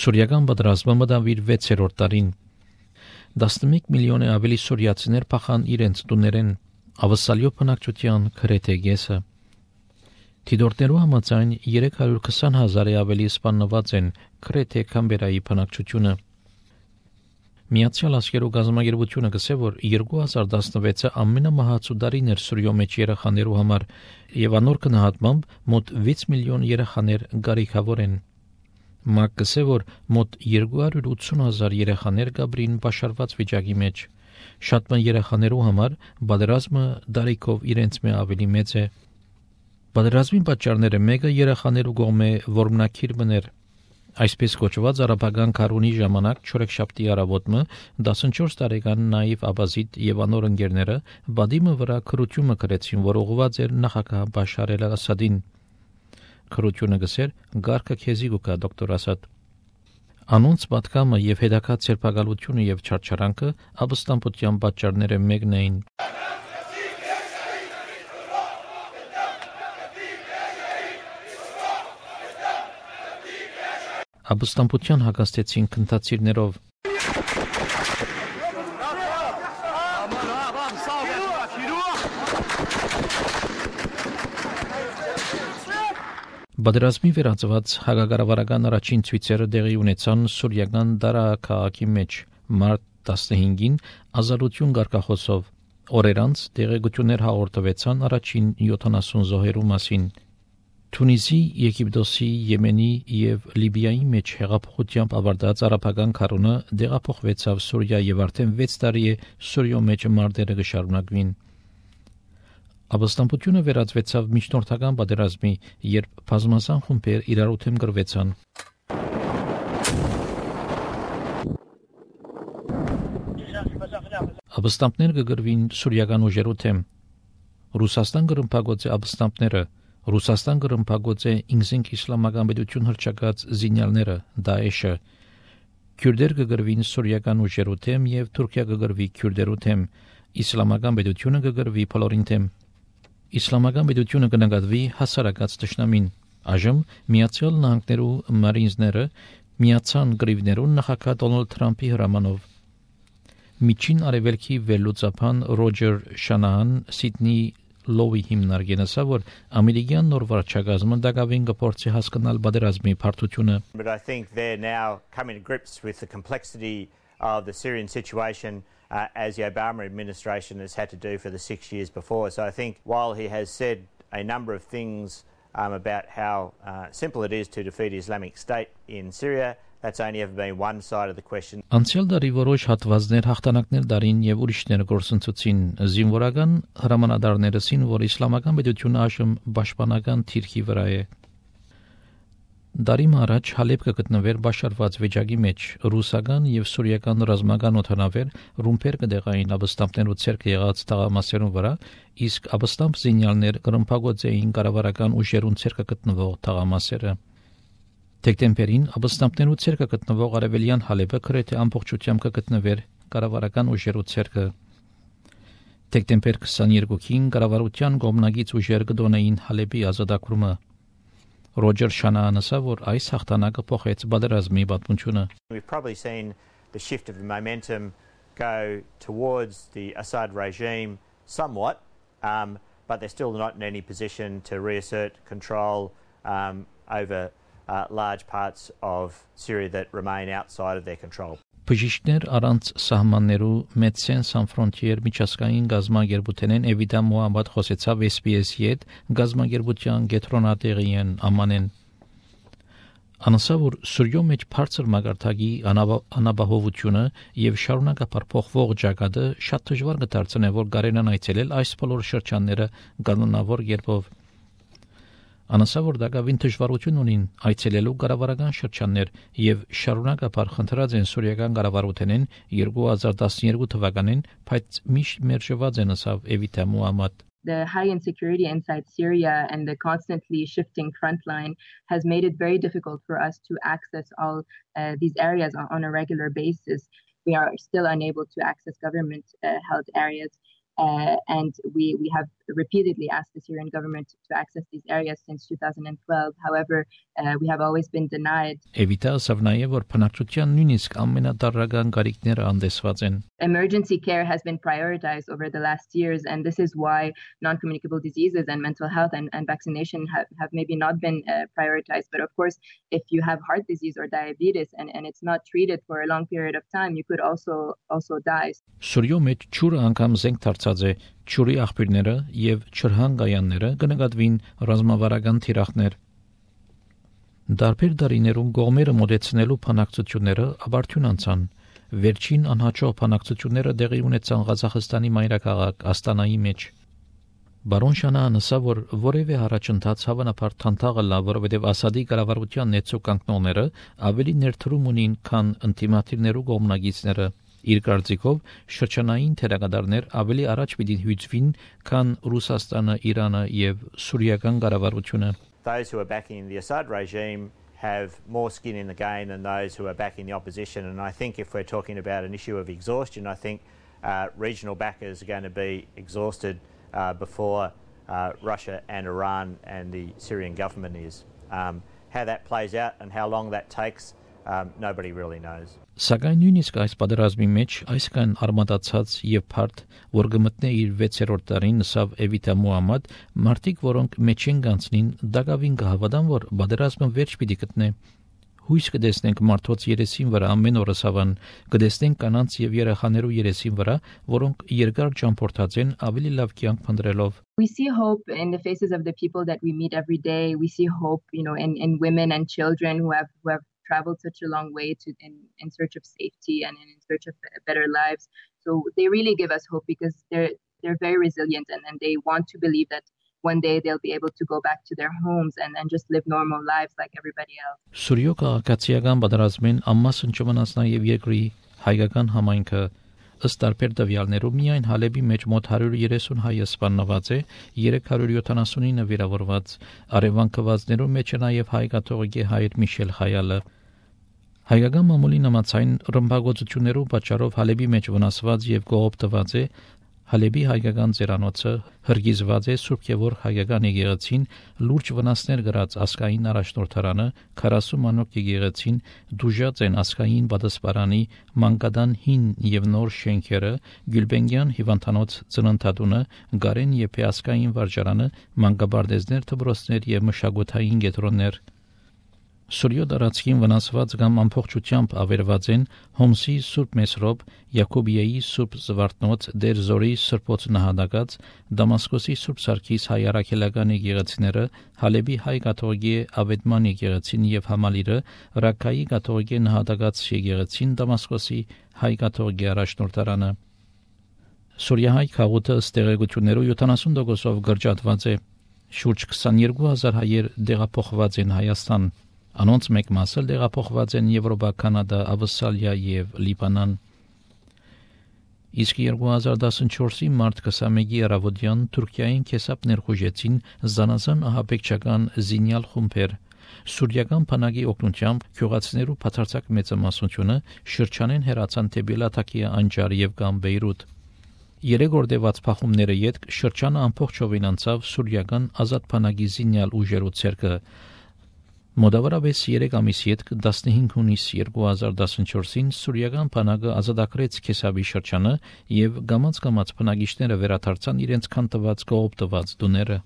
Սուրիական պատերազմը մտավ իր 6-րդ տարին։ 11 միլիոն ավելի սուրիացիներ փախան իրենց տուներեն, ավսալյո բնակչության գրեթե կեսը։ Թիդորներու համաձայն 320,000-ի ավելի սպանված են գրեթե Կամբերայի բնակչությունը։ Միացյալ Աշխարհի գազամագերբությունը գսե, որ 2016-ը ամենամահացու տարին էր Սուրիո մեջ երեխաներու համար, եւ անոր գնահատմամբ մոտ 6 միլիոն երեխաներ գարիքավոր են։ ՄԱԿ գսե, որ մոտ 280,000 երեխաներ գաբրին բաշարված վիճակի մեջ։ Շատ ման երեխաներու համար պատերազմը դարիքով իրենց մե ավելի մեծ է։ Պատերազմի պատճառները մեկը երեխաներու կողմէ որմնակիր բներ։ Այսպես կոչված արաբական քարունի ժամանակ չորեքշաբթի առավոտը 14 տարեկան նաիվ Աբազիտ եւ անոր ընկերները բադիմը վրա քրությունը գրեցին, որ ուղղված էր նախագահ Բաշար el-Ասադին։ Քրությունը գսեր «Գարկը քեզի գուկա դոկտոր Ասադ»։ Անոնց պատկամը եւ հետակա ցերպակալությունը եւ չարչարանքը ապստամբության պատճառները մեկն էին։ Ապստամբության հակաստեցին քննադատներով։ Պատերազմի վերածված հակակառավարական առաջին ցույցերը տեղի ունեցան սուրիական Դարա քաղաքի մեջ մարտ 15-ին ազատություն գարկախոսով։ Օրեր անց տեղեկություններ հաղորդվեցան առաջին 70 զոհերու մասին։ Թունիսի, Եգիպտոսի, Եմենի եւ Լիբիայի մեջ հեղափոխությամբ ավարտած արաբական քարոնը դեղափոխվեցավ Սուրիա եւ արդեն 6 տարի է Սուրիո մեջ մարտերը կշարունակվին։ Ապստամբությունը վերածվեցավ միջնորդական պատերազմի, երբ բազմազան խումբեր իրար ութեմ գրվեցան։ Ապստամբներ կգրվին սուրիական ուժերու թեմ։ Ռուսաստան գրմփագոց է ապստամբները։ Ռուսաստան գրմփագոց է ինքնին իսլամական պետություն հրճակած զինյալները Դաեշը։ Քյուրդեր կգրվին սուրիական ուժերու թեմ եւ Թուրքիա կգրվի քյուրդերու թեմ։ Իսլամական պետությունը կգրվի բոլորին թեմ։ Իսլամական պետությունը կնկատվի հասարակած ճշնամին։ Այժմ Միացյալ Նահանգներու մարինզները միացան գրիվներուն նախագահ Դոնալդ Թրամփի հրամանով։ Միջին արևելքի վերլուծապան Ռոջեր Շանահան Սիդնի Լովի հիմնարկենասա, որ ամերիկյան նոր վարչակազմը դակավին կփորձի հասկանալ պատերազմի բարդությունը։ But I think they're now coming to grips with the complexity of the Syrian situation as the Obama administration has had to do for the 6 years before. So I think while he has said a number of things about how simple it is to defeat Islamic State in Syria, that's only ever been one side of the question. Անցյալ դարի որոշ հատվածներ հաղթանակներ դարին եւ ուրիշներ գործընծուցին զինվորական հրամանատարներսին, որ իսլամական պետությունը այժմ պաշտպանական թիրքի վրա է։ Դարի առաջ Հալեբ կգտնվեր բաշարված վիճակի մեջ, ռուսական եւ սուրիական ռազմական օդանավեր ռումբեր կդեղային ապստամբներու ցերկ եղած թաղամասերուն վրա, իսկ ապստամբ զինյալներ գրմփագոց էին կառավարական ուժերուն ցերկ գտնվող թաղամասերը։ Դեկտեմբերին ապստամբներու ցերկը գտնվող արևելյան Հալեբը գրեթե ամբողջությամբ կգտնվեր կառավարական ուժերու ցերկը։ Դեկտեմբեր 22-ին կառավարության կողմնակից ուժեր կդոնեին Հալեբի ազատագրումը։ Ռոջեր Շանահանը ասա, որ այս հաղթանակը փոխեց պատերազմի պատմությունը։ We've probably seen the shift of the momentum go towards the Assad regime somewhat, but they're still not in any position to reassert control over large parts of Syria that remain outside of their control. Բժիշկներ առանց սահմաններու Médecins Sans Frontières միջազգային գազամագերբութենեն Էվիդա Մոհամմադ խոսեցավ SPS-ի հետ գազամագերբության գետրոնատեղիեն ամանեն։ Անասա, որ Սուրիո մեջ բարձր մագարտակի անապահովությունը եւ շարունակապար փոխվող ճակատը շատ դժվար կդարձնե, որ կարենան այցելել այս բոլոր շրջանները կանոնավոր կերպով։ Անասա, որ դակավին դժվարություն ունին այցելելու կառավարական շրջաններ եւ շարունակապար խնդրած են սուրիական կառավարութենեն 2012 թվականին, բայց միշտ մերժված են ասավ Էվիդա Մոհամմադ։ The high insecurity inside Syria and the constantly shifting front line has made it very difficult for us to access all these areas on a regular basis. We are still unable to access government held areas and we have repeatedly asked the Syrian government to access these areas since 2012. However, we have always been denied. Evita Savnayev որ բնակչության նույնիսկ ամենադառական գարիքները անդեսված են. Emergency care has been prioritized over the last years, and this is why non-communicable diseases and mental health and vaccination have maybe not been prioritized. But of course, if you have heart disease or diabetes and it's not treated for a long period of time, you could also die. Սուրյո մեջ ճուրը անգամ զենք դարձած է, ճուրի աղբյուրները եւ չրհանգայանները կնկատվին ռազմավարական թիրախներ։ Դարբեր դարիներում գողմերը մոդեցնելու փանակցությունները ավարտուն անցան։ Վերջին անհաջող փանակցությունները տեղի ունեցան Ղազախստանի մայրաքաղաք Աստանայի մեջ։ Բարոն Շանան ասա, որ որևէ առաջընթաց հավանաբար թանթաղը լավ, որովհետև Ասադի կառավարության ներծո կանգնողները ավելի ներդրում ունին, քան ինտիմատիվներու կողմնակիցները։ Իր կարծիքով շրջանային թերագադարներ ավելի առաջ պիտի հյուծվին, քան Ռուսաստանը, Իրանը եւ Սուրիական կառավարությունը։ Those who are backing the Assad regime have more skin in the game than those who are backing the opposition. And I think if we're talking about an issue of exhaustion, I think regional backers are going to be exhausted before Russia and Iran and the Syrian government is. How that plays out and how long that takes, nobody really knows. Սակայն նույնիսկ այս պատերազմի մեջ այսքան արմատացած եւ բարդ, որ գմտնե իր 6-րդ տարին նսավ Էվիտա Մուհամմադ, մարդիկ, որոնք մեջ են գանցնին, դակավին կհավատան, որ պատերազմը վերջ պիտի գտնե։ Հույս կդեսնենք մարդոց երեսին վրա ամեն օրը սավան, կդեսնենք կանանց եւ երեխաներու երեսին վրա, որոնք երկար ճամփորդած են ավելի լավ կյանք փնտրելով։ We see hope in the faces of the people that we meet every day. We see hope, in women and children who have traveled such a long way in search of safety and in search of better lives. So they really give us hope because they're very resilient and they want to believe that one day they'll be able to go back to their homes and just live normal lives like everybody else. Սուրյո քաղաքացիական պատերազմին ամասն չմնաց նաև երկրի հայկական համայնքը ըստ տարբեր տվյալներու միայն Հալեբի մեջ մոտ 130 հայ սպանված է, 379 վիրավորված, արևանքվածներու մեջ է նաև հայ կաթողիկե հայր Միշել Խայալը։ Հայկական մամուլի նամացային ռմբակոծություններու պատճառով Հալեբի մեջ վնասված եւ կողոպտված է Հալեբի հայկական ծերանոցը, հրգիզված է Սուրբ Գևորգ հայկական եկեղեցին, լուրջ վնասներ գրած ասկային առաջնորդարանը, 40 մանոկ եկեղեցին, դուժած են ասկային պատասպարանի, մանկադան հին եւ նոր շենքերը, Գյուլբենգյան հիվանդանոց ծննդատունը, Գարեն եւ Փեասկային վարժարանը, մանկաբարձներ, դպրոցներ եւ մշակութային կենտրոններ։ Սուրյո դարածքին վնասված կամ ամբողջությամբ ավերված են Հոմսի Սուրբ Մեսրոպ, Յակոբիայի Սուրբ Զվարթնոց, Դեր Զորի Սրբոց նահատակած, Դամասկոսի Սուրբ Սարգիս հայ առաքելական եկեղեցիները, Հալեբի հայ կաթողիկե Ավետման եկեղեցին եւ Համալիրը, Ռակայի կաթողիկե նահատակած եկեղեցին, Դամասկոսի հայ կաթողիկե առաջնորդարանը։ Սուրիահայ քաղուտը ստեղեկություններով 70%-ով գրջատված է։ Շուրջ 22000 հայեր դեղափոխված են Հայաստան։ Անոնց մեկ մասը դեղափոխված են Եվրոպա, Կանադա, Ավստրալիա եւ Լիբանան։ Իսկ 2014-ի մարտ 21-ի առավոտյան Թուրքիային քեսապ ներխուժեցին զանազան ահաբեկչական զինյալ խումբեր։ Սուրիական բանակի օգնությամբ քյուղացիներու բացարձակ մեծամասնությունը շրջանեն հեռացան դեպի Լաթակիա անջար եւ կամ Բեյրութ։ Երեգորդեված փախումները յետք շրջանը ամբողջովին անցավ սուրիական ազատ բանակի զինյալ ուժերու ցերկը։ Մոդավորապես 3 ամիս յետք 15 հունիս 2014-ին սուրիական բանակը ազատագրեց Քեսաբի շրջանը եւ գամած բնակիչները վերադարձան իրենց քանտված կողոպտված տուները։